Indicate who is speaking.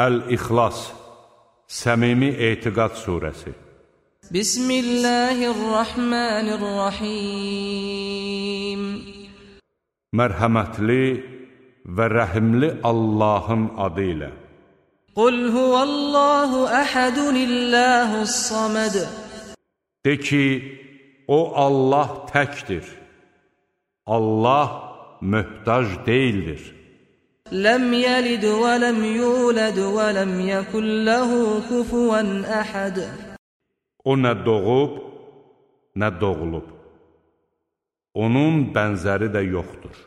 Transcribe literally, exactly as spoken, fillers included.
Speaker 1: Əl-İxlas, Səmimi Etiqad Surəsi. Bismillahirrahmanirrahim. Mərhəmətli və rəhimli Allahın adı ilə.
Speaker 2: Qul huvallahu əhədunillahus samad.
Speaker 1: De ki, o Allah təkdir. Allah möhtac deyildir.
Speaker 2: Ləm yəlid və ləm yulad və ləm yəkun ləhu kufuvan əhəd.
Speaker 1: O nə doğub, nə doğulub. Onun bənzəri də yoxdur.